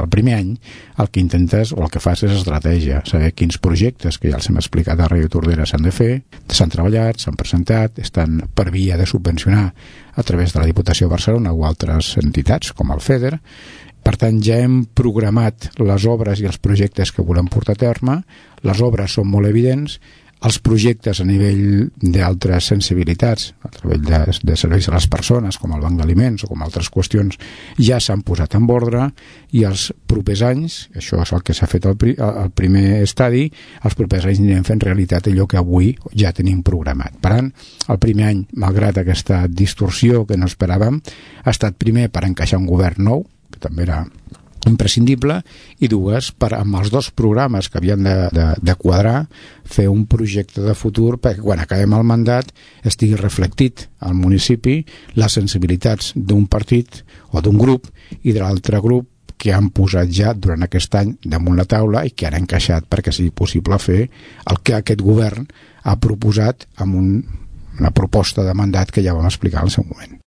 El primer any el que intentes o el que fas és estratègia, saber quins projectes que ja els hem explicat a Ràdio Tordera s'han de fer, s'han treballat, s'han presentat, estan per via de subvencionar a través de la Diputació de Barcelona o altres entitats com el FEDER. Per tant, ja hem programat les obres i els projectes que volem portar a terme. Les obres són molt evidents, els projectes a nivell d'altres sensibilitats, a través de serveis a les persones, com el banc d'aliments o com altres qüestions, ja s'han posat en ordre, i els propers anys, això és el que s'ha fet al primer estadi, els propers anys anirem fent realitat allò que avui ja tenim programat. Per tant, el primer any, malgrat aquesta distorsió que no esperàvem, ha estat primer per encaixar un govern nou, que també era imprescindible, i dues, amb els dos programes que havien de quadrar, fer un projecte de futur perquè quan acabem el mandat estigui reflectit al municipi les sensibilitats d'un partit o d'un grup i de l'altre grup que han posat ja durant aquest any damunt la taula i que han encaixat perquè sigui possible fer el que aquest govern ha proposat amb una proposta de mandat que ja vam explicar al seu moment.